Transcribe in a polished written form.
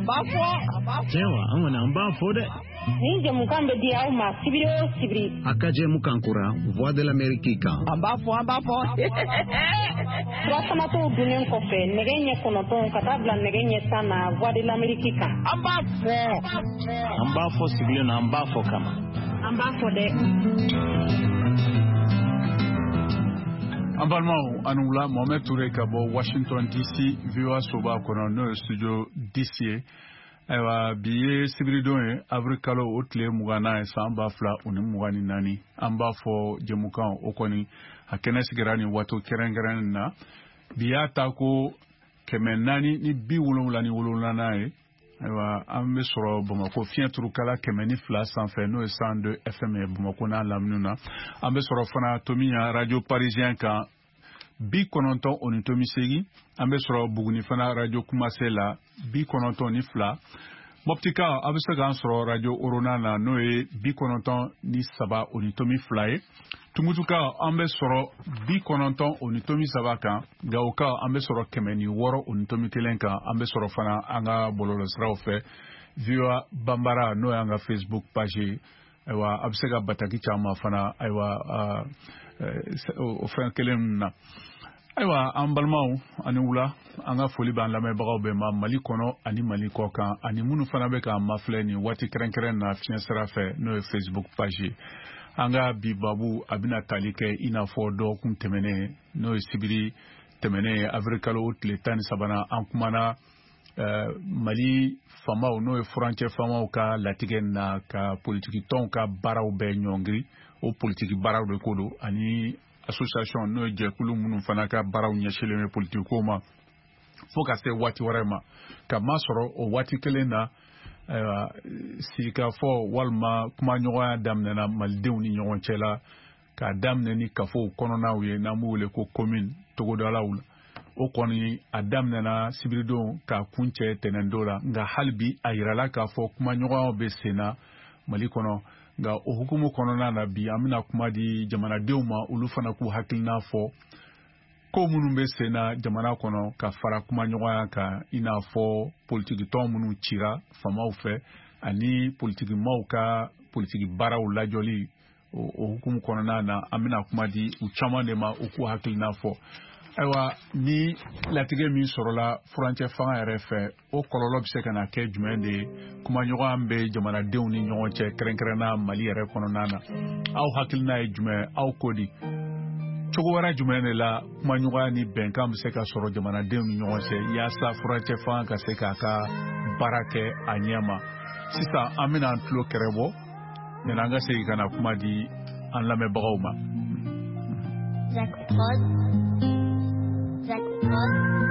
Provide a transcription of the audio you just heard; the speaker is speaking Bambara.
An b'a fɔ. Tiɲɛ wa, an kɔni an b'a fɔ dɛ. Nin jɛmukan bɛ di aw ma sibiri o sibiri. A ka jɛmukan kura, Voix de l'Amérique kan. An b'a fɔ, an b'a fɔ. Furafanatɔw dunnen kɔfɛ nɛgɛ ɲɛ 9 ka taa bila nɛgɛ ɲɛ 10 na, Voix de l'Amérique kan. An b'a fɔ. An b'a fɔ sigilen na, an b'a fɔ kama. An b'a fɔ dɛ. An balimaw, a ni wula. Mohamed Touré ka bɔ Washington DC, VOA soba kɔnɔ, n'o ye studio 10 ye. Ayiwa, bi ye sibiridon ye, avril kalo o tile 20nan ye, san 2024. An b'a fɔ jɛmukan o kɔni a kɛnɛ sigira nin waati kɛrɛnkɛrɛnnen na. Bi y'a ta ko 477nan ye. Ayiwa, an bɛ sɔrɔ Bamakɔ fiɲɛ turukala 102 sanfɛ, n'o ye 102 FM ye Bamakɔ n'a lamini na. An bɛ sɔrɔ fana Tomiɲan radio parisien kan, 90.8. An bɛ sɔrɔ Buguni fana radio Kumase la, 92. Moptika, a bɛ se k'an sɔrɔ radio Orona na, n'o ye 93.2 ye. Tumutuka, an bɛ sɔrɔ 90.3 kan. Gawoka, an bɛ sɔrɔ 106.1 kan. An bɛ sɔrɔ fana an ka bɔlɔlɔsiraw fɛ, VOA Banbara, n'o y'an ka Facebook page ye. Ayiwa, a bɛ se ka bataki caman fana, ayiwa, o fɛn kelen ninnu na. Ayiwa, an balimaw, ani wula. An ka foli b'an lamɛnbagaw bɛɛ ma Mali kɔnɔ ani Mali kɔ kan, ani minnu fana bɛ k'an mafilɛ nin waati kɛrɛnkɛrɛn na fiɲɛ sira fɛ, n'o ye Facebook page ye. An ka bi babu, a bɛna tali kɛ i n'a fɔ dɔgɔkun tɛmɛnen, n'o ye sibiri tɛmɛnen ye, avril kalo tile 13nan. An kumana Mali faamaw, n'o ye furancɛ faamaw ka latigɛ na ka politiki tɔnw ka baaraw bɛɛ ɲɔngiri. O politiki baaraw de ko don, ani association, n'o ye jɛkulu minnu fana ka baaraw ɲɛsinlen bɛ politiki ko ma, fo ka se waati wɛrɛ ma. Ka masɔrɔ o waati kelen na, ayiwa, sigikafɔ walima kumaɲɔgɔnya daminɛna malidenw ni ɲɔgɔn cɛ la, k'a daminɛ ni kafow kɔnɔnaw ye, n'an b'u wele ko commune, togodalaw la. O kɔni a daminɛna sibiridon k'a kuncɛ tɛnɛndon la. Nka hali bi a yirala k'a fɔ kumaɲɔgɔnyaw bɛ sen na Mali kɔnɔ. Nka o hukumu kɔnɔna na, bi an bɛna kuma di jamanadenw ma, olu fana k'u hakilina fɔ ko minnu bɛ sen na jamana kɔnɔ ka fara kumaɲɔgɔnya kan, i n'a fɔ politikitɔn minnu cira faamaw fɛ ani politikimaw ka politiki baaraw lajɔli. O hukumu kɔnɔna na, an bɛna kuma di u caman de ma, u k'u hakilina fɔ. Ayiwa, ni latigɛ min sɔrɔla furancɛ fanga yɛrɛ fɛ, o kɔlɔlɔ bɛ se ka na kɛ jumɛn de ye kumaɲɔgɔnya bɛ jamanadenw ni ɲɔgɔn cɛ, kɛrɛnkɛrɛnna Mali yɛrɛ kɔnɔna na? Aw hakilina ye jumɛn? Aw ko di? Cogo wɛrɛ jumɛn de la kumaɲɔgɔnya ni bɛnkan bɛ se ka sɔrɔ jamanadenw ni ɲɔgɔn cɛ, yaasa furancɛ fanga ka se k'a ka baara kɛ a ɲɛ ma? Sisan an bɛna an tulo kɛrɛ bɔ yanni an ka segin ka na kuma di an lamɛnbagaw ma. Jack Prod. Jack Prod.